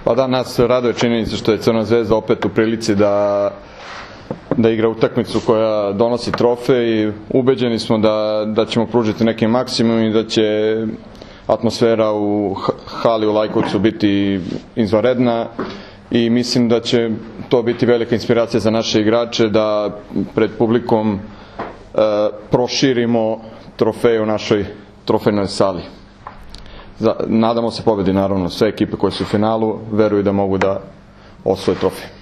Pa da, nas raduje činjenica što je Crvena Zvezda opet u prilici da igra utakmicu koja donosi trofej i ubeđeni smo da ćemo pružiti neki maksimum i da će atmosfera u hali u Lajkovcu biti izvanredna i mislim da će to biti velika inspiracija za naše igrače da pred publikom proširimo trofej u našoj trofejnoj sali. Nadamo se pobedi, naravno. Sve ekipe koje su u finalu veruju da mogu da osvoje trofej.